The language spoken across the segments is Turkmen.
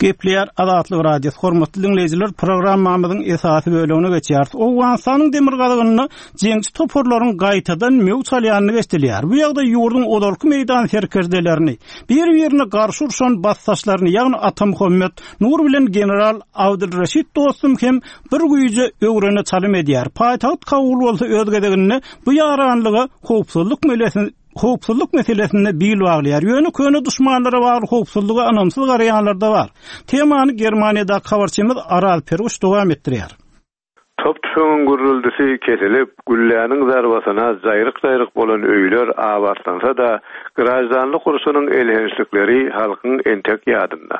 Gepleýär Azatlyk Radiosy. Hormatly diňleýjiler, programmamyzyň esasy bölegine geçýäris. Owganystanyň demirgazygynda jeňçi toparlaryň gaýtadan möwç alýandygy eşidilýär. Bu ýagdaý ýurduň ozalky meýdan serkerdelerini, bir-birine garşy urşan basdaşlaryny, ýagny Atamuhammet Nur bilen general Abdylreşit Dostum hem bir güýje öwrene çalym edýär. Paýtagt Kabul bolsa öz gezeginde bu ýaranlyga howpsuzlyk howpsuzlyk meselesinde bil baglaýar. Ýöne köne duşmanlara bagly howpsuzlyga ynamsyz garaýanlar-da bar. Temany Germaniýadaky habarçymyz Araz Perguş dowam etdirýär. Top-tüfeňiň gürrüldisi kesilip, gülläniň zarbasyna jaýryk-jaýryk bolan öýler abatlansa-da, graždanlyk urşunyň elhençlikleri halkyň entek ýadynda.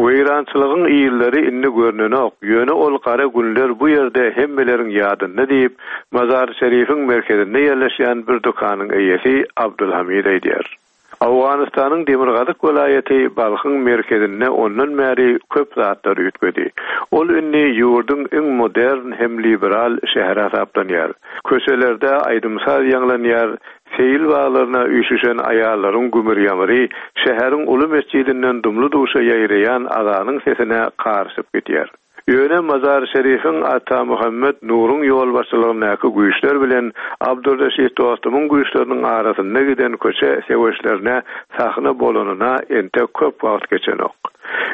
Weýrançylygyň yzlary indi görnenok, ýöne ol gara günler bu ýerde hemmeleriň ýadynda diýip, Mazar-Şerifiň merkezinde ýerleşýän bir dükanyň eýesi Abdulhamid aýdýar. Owganystanyň demirgazyk welaýaty Balhyň merkezinde ondan bäri köp zatlar üýtgedi. Ol indi ýurduň iň modern hem liberal şäheri hasaplanýar. Köçelerde aýdym-saz ýaňlanýar, Seýil baglaryna üýşüşen aýallaryň gümür-ýamyry şäheriň uly metjidinden dumly-duşa ýaýraýan azanyň sesine garyşyp gidýär. Ýöne Mazar-Şerifiň Atamuhammet Nuruň ýolbaşçylygyndaky güýçler bilen Abdurreşit Dostumyň güýçleriniň arasynda giden köçe söweşlerine sahna bolanyna entek köp wagt geçenok.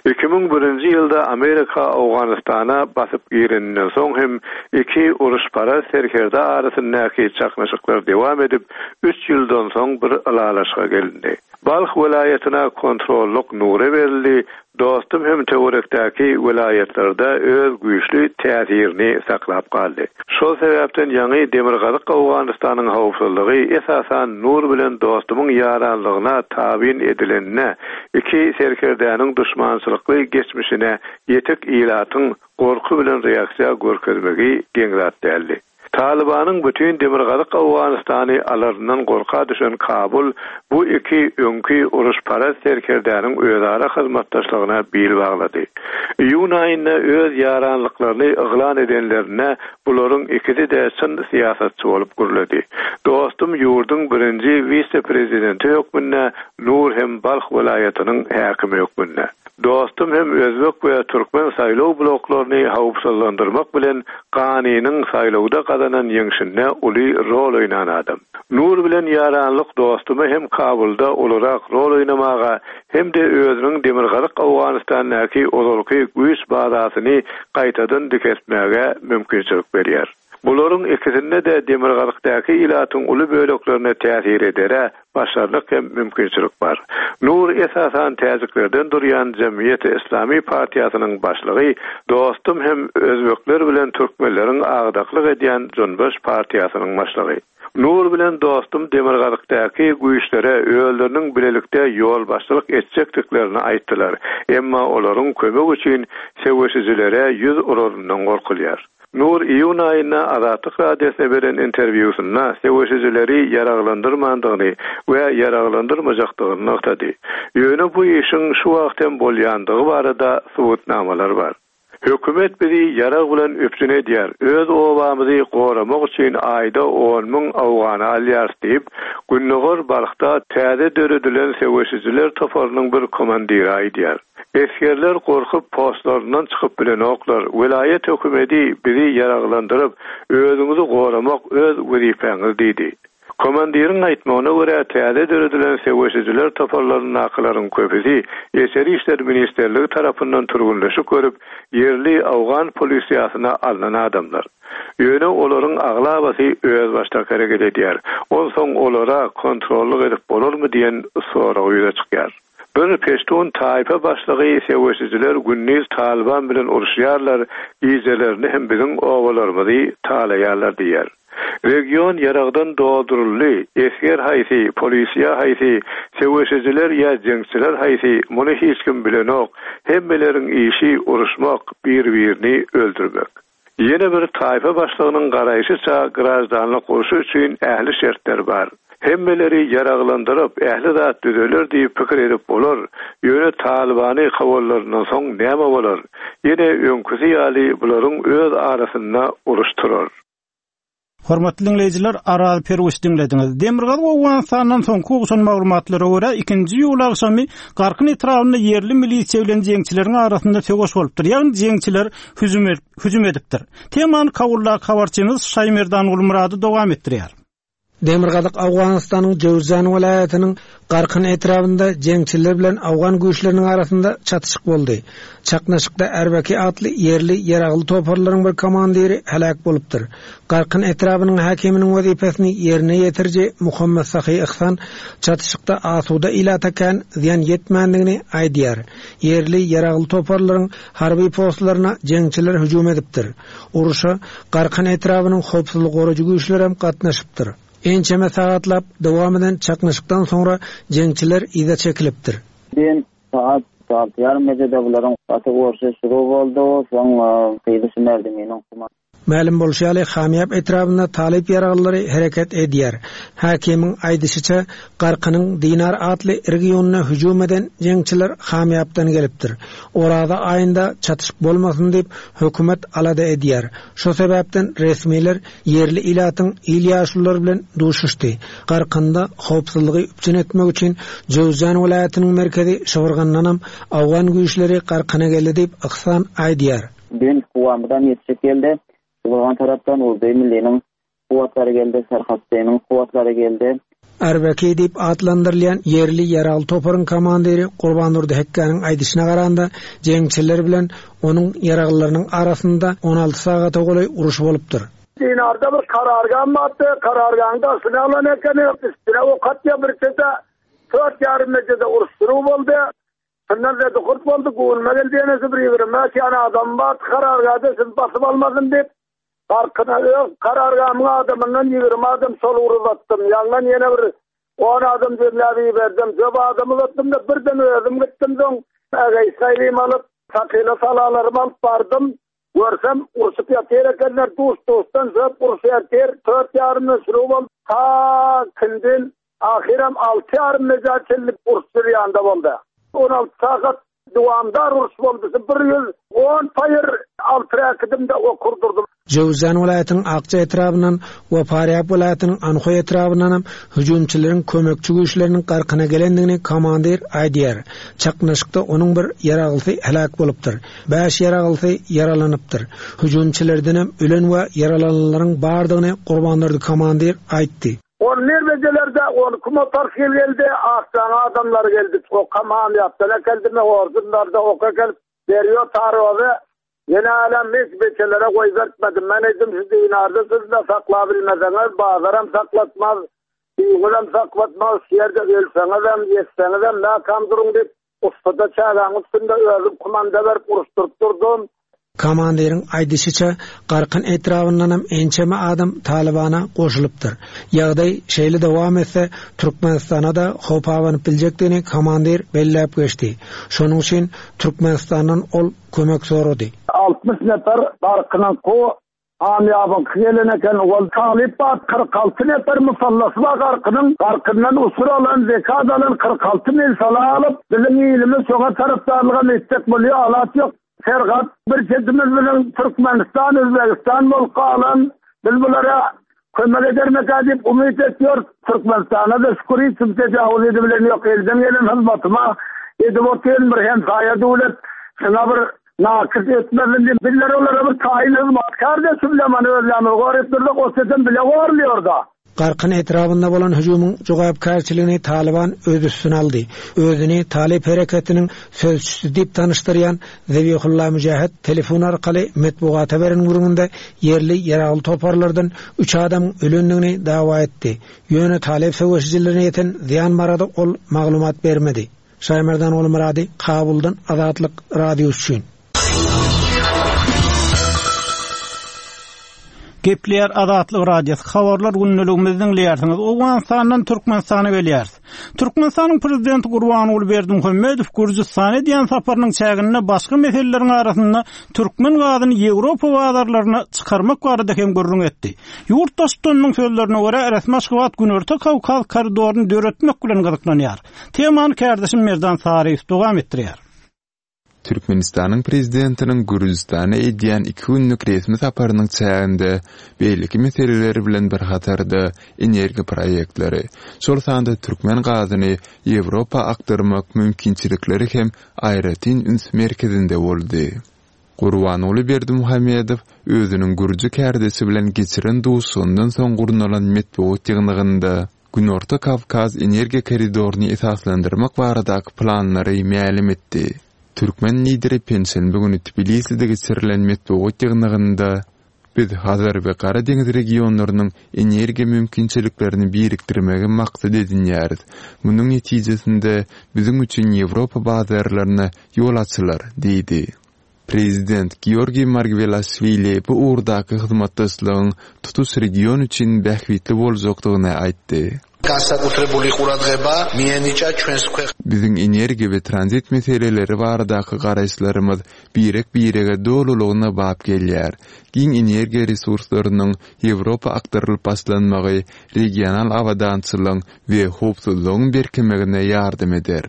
2001-nji ýylda Amerika Owganystana basyp gireninden soň hem iki uruşparaz serkerde arasyndaky çaknyşyklar dowam edip, üç ýyldan soň bir ylalaşyga gelindi. Balh welaýatyna kontrollyk Nura berildi, Dostum hem töwerekdäki welaýatlarda öz güýçli täsirini saklap galdy. Şol sebäpden ýaňy Demirgazyk Owganystanyň howpsuzlygy esasan Nur bilen Dostumyň ýaranlygyna tabyn edilenine, iki serkerdäniň duşmançylykly geçmişine ýetik ilatyň gorky bilen reaksiýa görkezmegi geň zat däldi. Talybanyň bütin Demirgazyk Owganystany alaryndan gorka düşen Kabul bu iki öňki uruşparaz serkerdäniň özara hyzmatdaşlygyna bil baglady. Iýun aýynda öz ýaranlyklaryny yglan edenlerinde bularyň ikisi-de çyn syýasatçy bolup gürledi. Dostum ýurduň birinji wise-prezidenti hökmünde, Nur hem Balh welaýatynyň häkimi hökmünde. Dostum hem özbek we türkmen saýlaw bloklaryny howpsuzlandyrmak bilen Ganynyň saýlawda gazanan ýeňşinde uly rol oýnan adam. Nur bilen ýaranlyk dostuma hem Kabulda ulurak rol oýnamaga hem-de özüniň Demirgazyk Owganystandaky ozalky güýç bazasyny gaýtadan dikeltmäge mümkinçilik berýär. Bularyň ikisinde-de demirgazykdaky ilatyň uly böleklerine täsir edere başarnyk hem mümkinçilik bar. Nur esasan täjiklerden durýan Jemgyýeti Islami partiýasynyň başlygy, Dostum hem özbekler bilen türkmenleriň agdaklyk edýän Junbyş partiýasynyň başlygy. Nur bilen Dostum demirgazykdaky güýçlere özleriniň bilelikde ýolbaşçylyk etjekdiklerini aýtdylar, emma olaryň kömek üçin söweşijilere ýüz uraryndan gorkulýar. Nur iýun aýynda Azatlyk Radiosyna beren interwýusynda söweşijileri ýaraglandyrmandygyny we ýaraglandyrmajakdygyny nygtady. Ýöne bu işiň şu wagt hem bolýandygy barada subutnamalar bar. Hökümet bizi ýarag bilen üpjün edýär, öz obamyzy goramak üçin aýda 10,000 owgany alýarys diýip, gündogar Balhda täze döredilen söweşijiler toparynyň bir komandiri aýdýar. Esgerler gorkup postlaryndan çykyp bilenoklar. Welaýat hökümedi bizi ýaraglandyryp, özüňizi goramak öz wezipäňiz diýdi. Komandiriň aýtmagyna görä, täze döredilen söweşijiler toparlaryndakylaryň köpüsi Içeri işler ministrligi tarapyndan türgünleşik görüp, ýerli owgan polisiýasyna alnan adamlar. Ýöne olaryň aglabasy özbaşdak hereket edýär. Onsoň olara kontrollyk edip bolarmy diýen sorag ýüze çykýar. Bir peştun taýpa başlygy söweşijiler gündiz Talyban bilen uruşýarlar, gijelerini hem biziň obalarymyzy talaýarlar diýýär. Region ýaragdan dolduryldy, esger haýsy, polisiýa haýsy, söweşijiler ýa jeňçiler haýsy, muny hiç kim bilenok, hemmeleriň işi uruşmak, bir-birini öldürmek. Ýene bir taýpa başlygynyň garaýşyça graždanlyk urşy üçin ähli şertler bar. Hemmeleri ýaraglandyryp, ähli zat düzeler diýip pikir edip bolar, ýöne Talybany kowanlaryndan soň näme bolar? Ýene öňküsi ýaly bularyň öz arasynda uruş turar. Hormatly diňleýjiler, Araz Perwiç diňlediňiz. Demirgazyk Owganystandan soňky gowşan maglumatlara görä, ikinji iýul agşamy Garkyn etrabynda ýerli milisiýa bilen jeňçileriň arasynda söweş bolupdyr, ýagny jeňçiler hüjüm hüjüm edipdir. Temany Kabuldaky habarçymyz Şaýmerdan Gulmyrady dowam etdirýär. Demirgazyk Owganystanyň Jöwüzjan welaýatynyň Garkyn etrabynda jeňçiler bilen owgan güýçleriniň arasynda çatyşyk boldy. Çaknyşykda Erbeki atly ýerli ýaragly toparlaryň bir komandiri heläk bolupdyr. Garkyn etrabynyň häkiminiň wezipesini ýerine ýetiriji Muhammet Sahy Yhsan çatyşykda asuda ilata kän zyýan ýetmändigini aýdýar. Ýerli ýaragly toparlaryň harby postlaryna jeňçiler hüjüm edipdir. Urşa Garkyn etrabynyň howpsuzlyk goraýjy güýçlerem gatnaşypdyr. Ençeme sagatlap dowam eden çaknyşykdan soňra jeňçiler yza çekilipdir. Düýn sagat alty ýarym gijede bularyň gaty urşy şuru boldy, soň gyzy şu merdiminiň kuma. Mälim bolşy ýaly, Hamýap etrabynda talyp ýaraglylary hereket edýär. Häkimiň aýdyşyça, Garkynyň Dinar atly regionyna hüjüm eden jeňçiler Hamýapdan gelipdir. Oraza aýynda çatyşyk bolmasyn diýip, hökümet alada edýär. Şo sebäpden resmiler ýerli ilatyň il ýaşululary bilen duşuşdy. Garkynda howpsuzlygy üpjün etmek üçin Jöwüzjan welaýatynyň merkezi Şybyrgandanam owgan güýçleri Garkyna geldi diýip, Yhsan aýdýar. Düýn Kuwamydan ýetişip geldi. Şybyrgan tarapdan Urduý Milliniň kuwwatlary geldi, Serhatdynyň kuwwatlary geldi. Erbeki diýip atlandyrylýan ýerli ýaragly toparyň komandiri Gurbandurdy Hekgäniň aýdyşyna garanda, jeňçiler bilen onuň ýaraglylarynyň arasynda 16 sagata golaý uruş bolupdyr. Dinarda bir karargam bardy, karargaň daşyny alan ekeni, üstüne ok atýar bir çete, tört ýarym mejede uruş-suruw boldy. Şundan zedi-hurt boldy, göwnüme geldi ýenesi bir 25 ýany adam bardy karargada, sizi basyp almasyn diýip, Garkyna öz karargamyň adamyndan 20 adam şol ugra uzatdym. Ýaňdan ýene bir on adam jemläp iberdim. Köp adam uzatdym-da, birden özüm gitdim soň, ägeý-saýlym alyp, sakyla salalarymy alyp bardym. Görsem, urşup ýatyr ekenler, duş-duşdan söp urşup ýatyr. Tört ýarymdan şuruw boldy. Ta kindin, ahyram alty ýarym meja çenli uruş jürýanda boldy. 16 sagat Dowamdar uruş boldy. 110 paýyr alty räkidimde ok urdurdym. Jöwüzjan welaýatynyň Akja etrabyndan we Farýab welaýatynyň Anhoý etrabyndanam hüjümçileriň kömekçi güýçleriniň garkyna gelendigini komandir aýdýar. Çaknyşykda onuň bir ýaraglysy heläk bolupdyr. Bäş ýaraglysy ýaralanypdyr. Hüjümçilerdenem ölen we ýaralananlaryň bardygyny Gurbandurdy komandir aýtdy. On bir bejelerde on iki motorsikl geldi, Akjaň adamlary geldi. Okam Hamýapdan äkeldimi, Orzunlarda ok äkelip berýär tarozy. Ýene älem hiç beçelere goýbertmedim. Men aýtdym, şu dinarda siz-de saklabilmeseňiz, bazaram saklatmaz, düýňüzem saklatmaz, şu ýerde ölseňizem, ýetseňizem mäkäm duruň diýip, Ussada çägäň üstünde özüm kumanda berip uruşdyryp durdum. Komandiriň aýdyşyça, Garkyn etrabyndanam ençeme adam Talybana goşulypdyr. Ýagdaý şeýle dowam etse, Türkmenistana-da howp abanyp biljekdigini komandir belläp geçdi. Şonuň üçin Türkmenistandan ol kömek sorady. 60 nefer Garkynyňky Hamýabyňky gelen eken, ol talyp bar, 46 nefer musallasy bar Garkynyň, Garkyndan usur alan, zekat alan 46 mil sala alyp, biziň ilimiz şoňa tarapdarlygam etjek bolýar, alaç ýok. Serhat, bir çetimiz biziň Türkmenistan, Özbegistan bolup galan, biz bulara kömek edermikä diýip umyt etýäris. Türkmenistana-da şükür hiç kim tejawuz edibilen ýok, elden gelen hyzmatyma edip otyryn, bir hemsaýa döwlet, şuňa bir Nakys etmesin diýip, bizler olara bir taýyn hyzmatkär de şu bilen many özlerimizi goryp durduk, o setem bile gorulýar-da. Garkyn etrabynda bolan hüjümiň jogapkärçiligini Talyban öz üstüne aldy. Özüni Talyp hereketiniň sözçüsi diýip tanyşdyrýan Zebihulla Müjahid telefon arkaly metbugata beren gürrüňinde ýerli ýaragly toparlardan üç adamyň ölendigini dawa etdi. Ýöne talyp söweşijilerine ýeten zyýan barada ol maglumat bermedi. Şaýmerdan Gulmyrady, Kabuldan Azatlyk Radiosy üçin. Gepleýär Azatlyk Radiosy, Habarlar gündeligimizi diňleýärsiňiz. Owganystandan Türkmenistana gelýäris. Türkmenistanyň Prezidenti Gurbanguly Berdimuhamedow Gürjüstana edýän saparynyň çäginde başga meseleleriň arasynda türkmen gazyny Ýewropa bazarlaryna çykarmak barada hem gürrüň etdi. Ýurt Baştutanynyň sözlerine görä, resmi Aşgabat Günorta Kawkaz koridoryny döretmek bilen gyzyklanýar. Temany kärdeşim Merdan Saryýew dowam etdirýär. Türkmenistanyň Prezidentiniň Gürjüstana edýän iki günlük resmi saparynyň çäginde beýleki meseleler bilen bir hatarda energiýa proýektleri, şol sanda türkmen gazyny Ýewropa akdyrmak mümkinçilikleri hem aýratyn üns merkezinde boldy. Gurbanguly Berdimuhamedow özüniň gürji kärdeşi bilen geçiren duşuşygyndan soň gurnalan metbugat ýygnagynda Günorta Kawkaz energiýa koridoryny esaslandyrmak baradaky planlary mälim etdi. Türkmen Lideri penşenbe güni Tbiliside geçirilen metbugat ýygnagynda, Biz Hazar we Gara deňiz regionlarynyň energiýa mümkinçiliklerini birikdirmegi maksat edinýäris. Munuň netijesinde biziň üçin Ýewropa bazarlaryna ýol açylar diýdi. Prezident Georgiý Margwelaşwili bu ugurdaky hyzmatdaşlygyň tutuş region üçin bähbitli boljakdygyny aýtdy. Biziň energiýa we tranzit meseleleri baradaky garaýyşlarymyz birek-birege dolulygyna bap gelýär. Giň energiýa resurslarynyň Ýewropa akdyrylyp başlanmagy regional abadançylygyň we howpsuzlygyň berkemegine ýardam eder.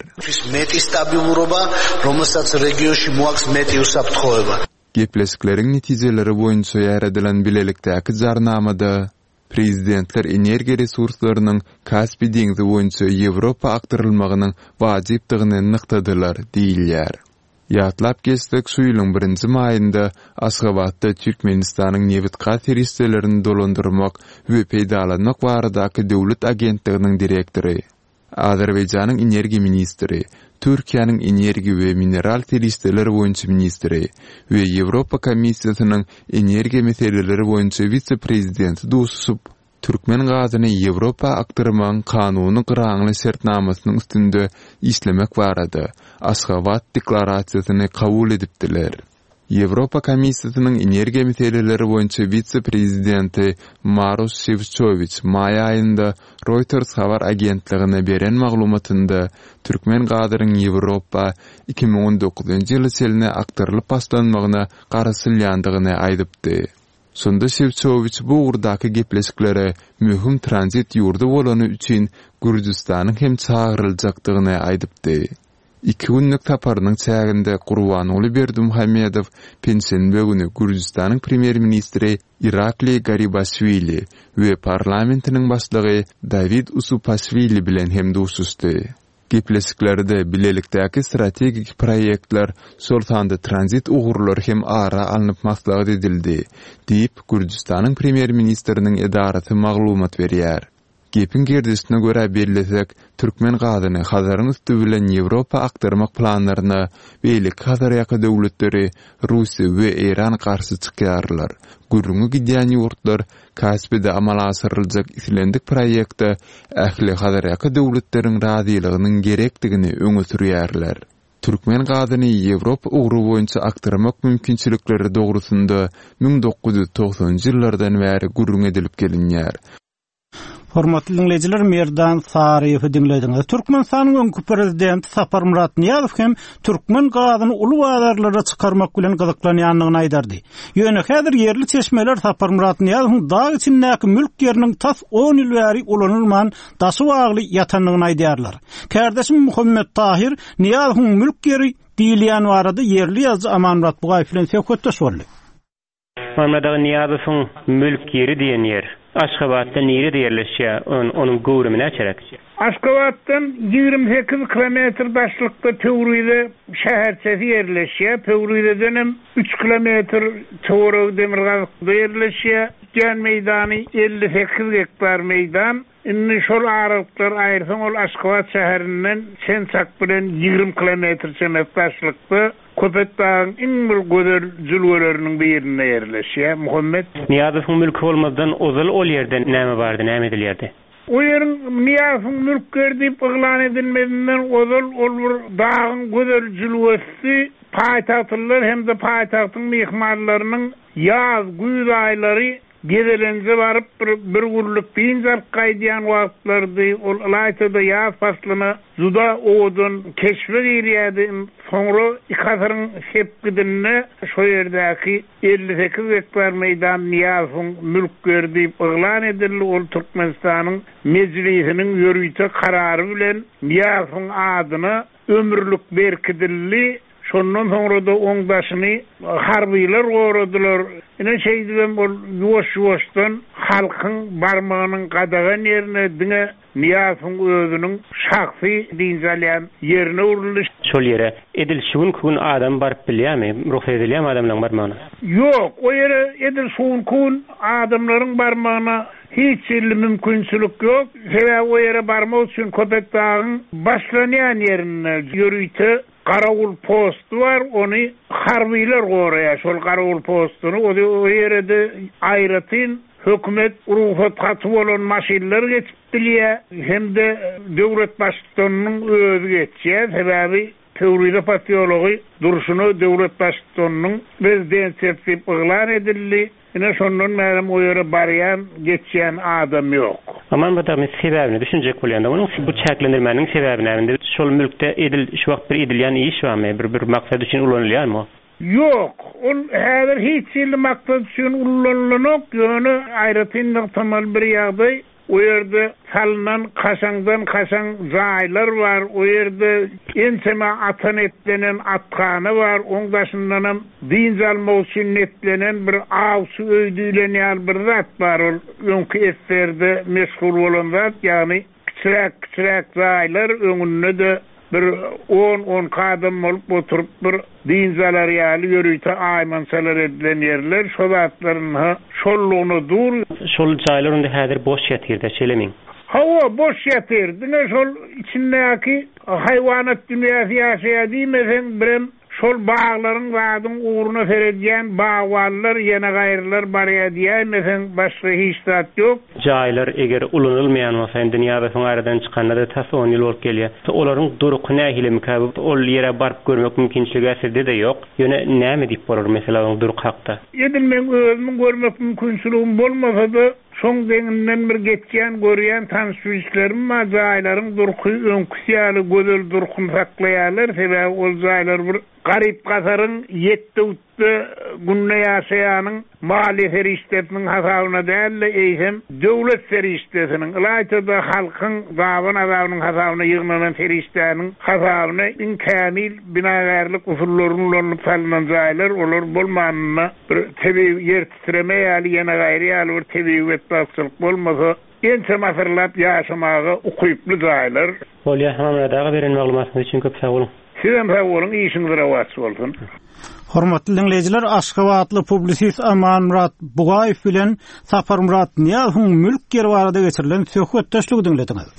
Gepleşikleriň netijeleri boýunça ýaradylan bilelikdäki jarnamada Prezidentler energiýa resurslarynyň Kaspi deňzi boýunça Ýewropa akdyrylmagynyň wajypdygyny nygtadylar diýilýär. Ýatlap geçsek, şu ýylyň birinji maýynda Aşgabatda Türkmenistanyň nebit-gaz serişdelerini dolandyrmak we peýdalanmak baradaky döwlet agentliginiň direktory, Azerbaýjanyň energiýa ministri, Türkiýäniň energiýa we mineral serişdeler boýunça ministri we Ýewropa Komissiýasynyň energiýa meseleleri boýunça wise-prezidenti duşuşyp, Türkmen gazyny Ýewropa akdyrmagyň kanuny gyraňly şertnamasynyň üstünde işlemek barada Aşgabat deklarasiýasyny kabul edipdiler. Ýewropa Komissiýasynyň energiýa meseleleri boýunça wise-prezidenti Maroş Şewçowiç maý aýynda Reuters habar agentligine beren maglumatynda türkmen gazynyň Ýewropa 2019-njy ýyla çenli akdyrylyp başlanmagyna garaşylýandygyny aýdypdy. Şonda Şewçowiç bu ugurdaky gepleşiklere möhüm tranzit ýurdy bolany üçin Gürjüstanyň hem çagyryljakdygyny aýdypdy. Iki günlük saparynyň çäginde Gurbanguly Berdimuhamedow penşenbe güni Gürjüstanyň premýer-ministri Irakliý Garibaşwili we parlamentiniň başlygy Dawid Usupaşwili bilen hem duşuşdy. Gepleşiklerde bilelikdäki strategik proýektler, şol sanda tranzit ugurlary hem ara alnyp maslahat edildi, diýip, Gürjüstanyň premýer-ministriniň edarasy maglumat berýär. Gepiň gerdişine görä bellesek, türkmen gazyny Hazaryň üsti bilen Ýewropa akdyrmak planlaryna beýleki Hazarýaka döwletleri Russiýa we Eýran garşy çykýarlar. Gürrüňi gidýän ýurtlar Kaspide amala aşyryljak islendik proýekte ähli Hazarýaka döwletleriň razylygynyň gerekdigini öňe sürýärler. Türkmen gazyny Ýewropa ugry boýunça akdyrmak mümkinçilikleri dogrusynda 1990-njy ýyllardan bäri gürrüň edilip gelinýär. Hormatly diňleýjiler, Merdan Saryýewi diňlediňiz. Türkmenistanyň öňki prezidenti Saparmyrat Nyýazow hem türkmen gazyny uly bazarlara çykarmak bilen gyzyklanýandygyny aýdardy. Ýöne häzir ýerli çeşmeler Saparmyrat Nyýazowyň dag içindäki mülk ýeriniň tas on ýyl bäri ulanylman, daşy bagly ýatandygyny aýdýarlar. Kärdeşim Muhammet Tahyr Nyýazowyň mülk ýeri diýilýän barada ýerli ýazyjy Amanmyrat Bugaýew bilen söhbetdeş boldy. Muhammet aga Nyýazowyň mülk ýeri diýen ýer Aşgabatda nirede ýerleşýär, onuň göwrümi näçeräk? Aşgabatdan 28 kilometr daşlykda Pöwrize şäherçesi ýerleşýär. Pöwrizedenem üç kilometr töweregi demirgazykda ýerleşýär. Tutýan meýdany 58 gektar meýdan. Indi şol aralyklary aýyrsaň ol Aşgabat şäherinden çen-çak bilen 20 kilometr çemesi daşlykda Köpetdagyň iň bir gözel jülgeleriniň birinde ýerleşýär. Muhammet. Nyýazowyň mülki bolmazdan ozal ol ýerde näme bardy, näme edilýärdi? O ýeriň Nyýazowyň mülk ýeri diýip yglan edilmezinden ozal ol bir dagyň gözel jülgesidi. Paýtagtlylar hem-de paýtagtyň myhmanlarynyň ýaz, güýz aýlary Gezelenje baryp bir bir günlük dynç alyp gaýdýan wagtlarydy. Ol ylaýta-da ýaz paslyna juda owadan keşbe girýärdi. Soňra iki asyryň sepgidinde şo ýerdäki 58 gektar meýdan Nyýazowyň mülk ýeri diýip yglan edildi. Ol Türkmenistanyň Mejlisiniň ýörite karary bilen Nyýazowyň adyna ömürlik berkidildi. Şondan soňra-da oň daşyny harbylar goradylar. Ine şeýdibem ol ýuwaş-ýuwaşdan halkyň barmagynyň gadagan ýerine diňe Nyýazowyň özüniň şahsy dynç alýan ýerine öwrüldi. Şol ýere edil şu günki gün adam baryp bilýärmi? Rugsat edilýärmi adamlaryň barmagyna? Ýok, o ýere edil şu günki gün adamlaryň barmagyna hiç hili mümkinçilik ýok. Sebäbi o ýere barmak üçin Köpetdagyň başlanýan ýerinde ýörite garawul posty bar, ony harbylar goraýar, şol garawul postuny. O ýere-de aýratyn Hökümet rugsat haty bolan maşynlar geçip bilýär hem-de döwlet baştutanynyň özi geçýär. Sebäbi Pöwrize posýology durşuna döwlet baştutanynyň rezidensiýasy diýip yglan edildi. Ine şondan bärem o ýere barýan, geçýän adam ýok. Aman bu dagy men sebäbine düşünjek bolýan-da munuň. Bu çäklendirmäniň sebäbi näme indi? Şol mülkde edil şu wagt bir edilýän iş barmy? Bir bir maksat üçin ulanylýarmy o? Ýok, ol häzir hiç hili maksat üçin ullanylanok, ýöne aýratyn nygtamaly bir ýagdaý, o ýerde salnan kaşaňdan kaşaň jaýlar bar, o ýerde ençeme ata netlenen athana bar, oň daşyndanam dynç almak üçin netlenen bir awçy öý diýlen ýaly bir zat bar, ol öňki SSR-de meşhur bolan zat, ýagny Kiçiräk-kiçiräk jaýlar, öňünde-de bir on-onki adam bolup oturyp bir dynç alar ýaly ýörite aýmançalar edilen ýerler, şo zatlar ynha şollugyna dur. Şol jaýlar onda häzir boş ýatyr-da, şeýlemi? Hawa, boş ýatyr. Diňe şol içindäki haýwanat dünýäsi ýaşaýar diýmeseň, birem Şol baglaryň zadyň ugruna seredýän bagbanlar ýene gaýrylar barýa diýäýmeseň başga hiç zat ýok. Jaýlar eger ulanylmaýan bolsa indi Nyýazowyň aradan çykanyna-da tas on ýyl bolup gelýär. Olaryň durky nähilimikä ol ýere baryp görmek mümkinçiligi-ä sizde-de ýok. Ýöne näme diýip bolar meselä oň durky hakda? Edil meň özümiň görmek mümkinçiligim bolmasa-da, Şoň deňinden bir geçýän görýän tanyş-bilişlerim bar, jaýlaryň durky öňküsi ýaly gözel durkuny saklaýarlar, sebäbi ol jaýlar bir garyp-gasaryň ýetde-gütde günde ýaşaýanyň maliýe serişdesiniň hasabyna däl-de, eýsem, döwlet serişdesiniň, ylaýta-da halkyň daban azabynyň hasabyna ýygnanan serişdäniň hasabyna iň kämil binagärlik usullaryny ulanylyp salnan jaýlar, olar bolmanynda bir tebigy ýer Titreme ýaly ýene gaýry ýaly bir tebigy betbagtçylyk bolmasa, ençeme asyrlap ýaşamaga ukyply jaýlar. Bolýa, Hamamyrat aga beren maglumatyňyz üçin köp sag boluň. Sizem sag boluň, işiňiz rowaç bolsun. Hormatly diňleýjiler, aşgabatly publisist Amanmyrat Bugaýew bilen Saparmyrat Nyýazowyň mülk ýeri barada geçirilen söhbetdeşligi diňlediňiz.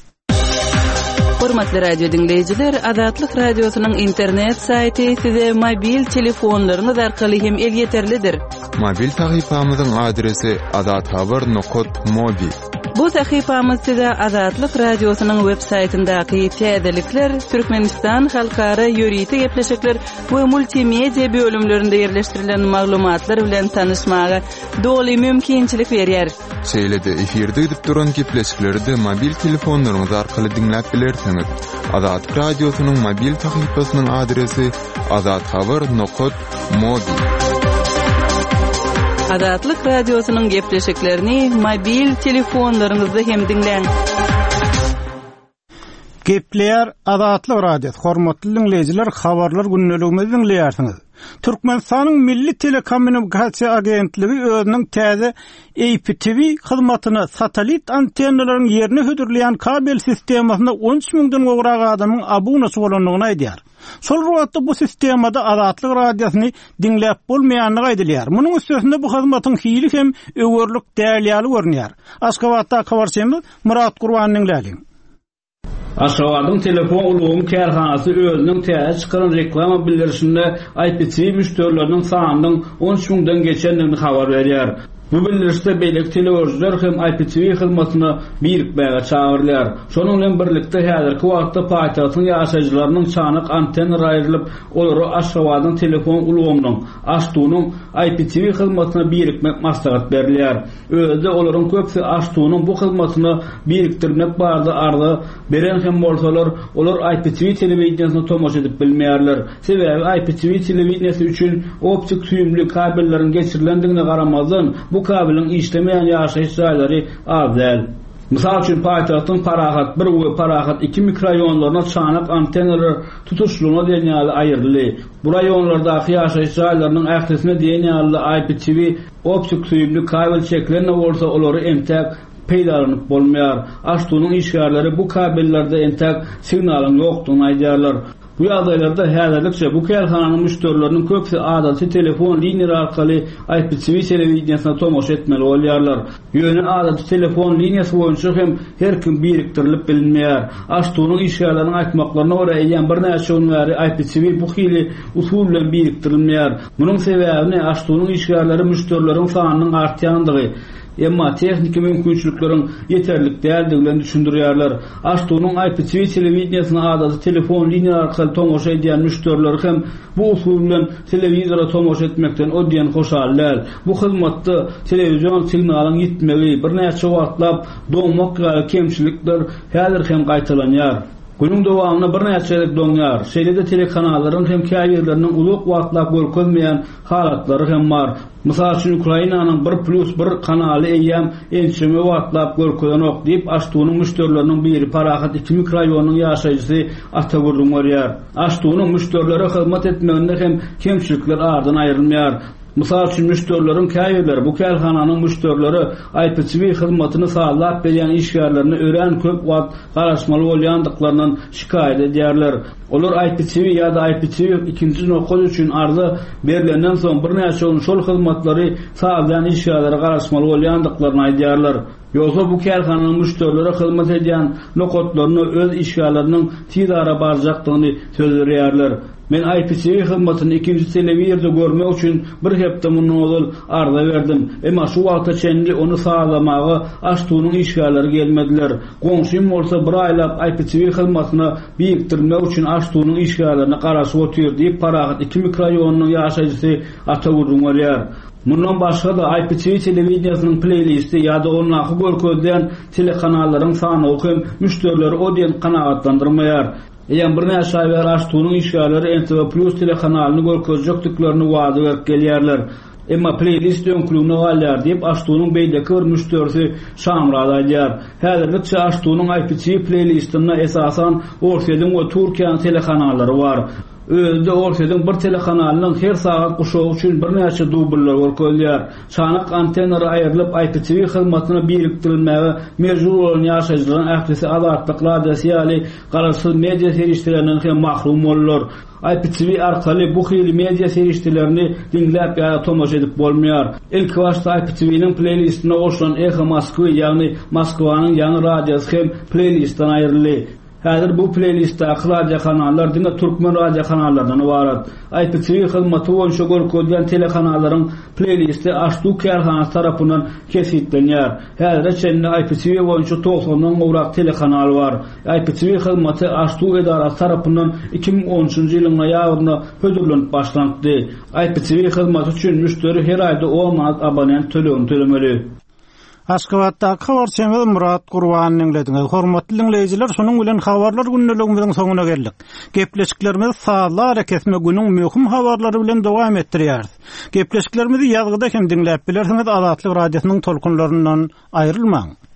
Hormatly radio diňleýjiler, Azatlyk Radiosynyň internet saýty size mobil telefonlaryňyz arkaly hem elýeterlidir. Mobil sahypamyzyň adresi azathabar.mobi. Bu sahypamyz size Azatlyk Radiosynyň web saýtyndaky täzelikler, Türkmenistan halkara ýörite gepleşikler we multimedia bölümlerinde ýerleşdirilen maglumatlar bilen tanyşmaga doly mümkinçilik berýär. Şeýle-de efirde gidip duran gepleşikleri-de mobil telefonlaryňyz arkaly diňläp bilersiňiz. Azatlyk Radiosynyň mobil sahypasynyň adresi azathabar nokat mobi. Azatlyk Radiosynyň gepleşiklerini mobil telefonlaryňyzda hem diňläň. Gepleýär Azatlyk Radiosy, hormatly diňleýjiler, habarlar gündeligimizi diňleýärsiňiz. Türkmenistanyň Milli telekommunikasiýa agentligi özüniň täze IPTV hyzmatyny satellit antennalaryň ýerine hödürleýän kabel sistemasyna 13 müňden gowrak adamyň abunaçy bolandygyny aýdýar. Şol bir wagtda bu sistemada Azatlyk Radiosyny diňläp bolmaýandygy aýdylýar. Munuň üstesine bu hyzmatyň hili hem öwerlik däl ýaly görünýär. Aşgabatdaky habarçymyz Myrat Gurbany diňläliň. Aşgabadyň telefon ulgamy kärhanasy özüniň täze çykaran reklama bildirişinde IPTV müşderileriniň sanynyň 13 müňden geçendigini habar berýär. Bu bildirişde beýleki telegörüjiler hem IPTV hyzmatyna birikmäge çagyrylýar. Şonuň bilen birlikde häzirki wagtda paýtagtyň ýaşaýjylarynyň çanak antennalar aýrylyp, olara Aşgabadyň telefon ulgamynyň, AŞTU-nyň IPTV hyzmatyna birikmek maslahat berilýär. Özi-de olaryň köpüsi AŞTU-nyň bu hyzmatyna birikdirmek barada arza beren hem bolsalar, olar IPTV telewideniýesine tomaşa edip bilmeýärler. Sebäbi IPTV telewideniýesi üçin optik süýümli kabelleriň geçirilendigine garamazdan, bu kabeliň işlemeýän ýaşaýyş jaýlary az däl. Mysal üçin, paýtagtyň Parahat bir we Parahat iki mikroraýonlaryna çanak antennalar tutuşlygyna diýen ýaly aýryldy. Bu raýonlardaky ýaşaýyş jaýlarynyň ählisine diýen ýaly IPTV optik süýümli kabel çekilen-de bolsa, olary entäk peýdalanyp bolmaýar. AŞTU-nyň işgärleri bu kabellerde entäk signalyň ýokdugyny aýdýarlar. Bu ýagdaýlarda häzirlikçe bu kärhananyň müşderileriniň köpüsi adaty telefon liniýalary arkaly IPTV telewideniýesine tomaşa etmeli bolýarlar. Ýöne adaty telefon liniýasy boýunça hem her kim birikdirilip bilinmeýär. AŞTU-nyň işgärleriniň aýtmaklaryna görä, eýýäm birnäçe gün bäri IPTV bu hili usul bilen birikdirilmeýär. Munuň sebäbini AŞTU-nyň işgärleri müşderileriň sanynyň artýandygy, emma tehniki mümkinçilikleriň ýeterlik däldigi bilen düşündirýärler. AŞTU-nyň IPTV telewideniýesine adaty telefon liniýalary arkaly tomaşa edýän müşderileri hem bu usul bilen telewizora tomaşa etmekden o diýen hoşal däl. Bu hyzmatda telewizion signalyň ýitmegi, birnäçe wagtlap doňmak ýaly kemçilikler häzir hem gaýtalanýar. Günüň dowamynda birnäçe gezek doňýar. Şeýle-de telekanallaryň hem käbirleriniň uzak wagtlap görkezmeýän halatlary hem bar. Mysal üçin, Ukrainanyň bir plýus bir kanaly eýýäm ençeme wagtlap görkezenok, diýip, AŞTU-nyň müşderileriniň biri, Parahat iki mikroraýonynyň ýaşaýjysy Ata gürrüň berýär. AŞTU-nyň müşderilere hyzmat etmeginde hem kemçilikler aradan aýrylmaýar. Mysal üçin, müşderileriň käbirleri bu kärhananyň müşderilere IPTV hyzmatyny sazlap berýän işgärlerine örän köp wagt garaşmaly bolýandyklaryndan şikaýat edýärler. Olar IPTV ýa-da IPTV ikinji nokat üçin arza berlenden soň birnäçe gün şol hyzmatlary sazlaýan işgärlere garaşmaly bolýandyklaryny aýdýarlar. Ýogsa bu kärhananyň müşderilere hyzmat edýän nokatlaryna öz işgärleriniň tiz ara barjakdygyny söz berýärler. Men IPTV hyzmatyny ikinji telewizorda görmek üçin bir hepde mundan ozal arza berdim. Emma şu wagta çenli ony sazlamaga AŞTU-nyň işgärleri gelmediler. Goňşym bolsa bir aýlap IPTV hyzmatyna birikdirilmek üçin AŞTU-nyň işgärlerine garaşyp otyr diýip, Parahat iki mikroraýonynyň ýaşaýjysy Ata gürrüň berýär. Mundan başga-da, IPTV telewideniýesiniň pleýlisti ýa-da ondaky görkezilýän telekanallaryň sanawy hem müşderileri o diýen kanagatlandyrmaýar. Eýýäm birnäçe aý bäri AŞTU-nyň işgärleri NTV Plus telekanalyny görkezjekdiklerini wada berip gelýärler. Emma pleýlist öňküligine galýar, diýip, AŞTU-nyň beýleki bir müşderisi Şamyrat aýdýar. Häzirlikçe AŞTU-nyň IPTV pleýlistinde esasan Orsýetiň we Türkiýäniň telekanallary bar. Özi-de Orsýetiň bir telekanalynyň her sagat guşagy üçin birnäçe dubllar görkezilýär. Çanak antennalary aýrylyp, IPTV hyzmatyna birikdirilmäge mejbur bolan ýaşaýjylaryň ählisi Azatlyk Radiosy ýaly garaşsyz media serişdelerinden hem mahrum boldular. IPTV arkaly bu hili media serişdelerini diňläp ýa-da tomaşa edip bolmaýar. Ilkibaşda IPTV-niň pleýlistine goşulan Eho Moskwy, ýagny Moskwanyň ýaňy radiosy hem pleýlistden aýryldy. Häzir bu pleýlistdäki radiokanallar diňe türkmen radiokanallaryndan ybarat. IPTV hyzmaty boýunça görkezilýän telekanallaryň pleýlisti AŞTU kärhanasy tarapyndan kesgitlenýär. Häzire çenli IPTV boýunça togsandan gowrak telekanal bar. IPTV hyzmaty AŞTU edarasy tarapyndan 2013-nji ýylyň noýabrynda hödürlenip başlanypdy. IPTV hyzmaty üçin müşderi her aýda on manat abonent tölegini tölemeli. Aşgabatdaky habarçymyz Myrat Gurbany diňlediňiz. Hormatly diňleýjiler, şunuň bilen habarlar gündeligimiziň soňuna geldik. Gepleşiklerimizi sazly arakesme günüň möhüm habarlary bilen dowam etdirýäris. Gepleşiklerimizi ýazgyda hem diňläp bilersiňiz Azatlyk Radiosynyň tolkunlaryndan aýrylmaň.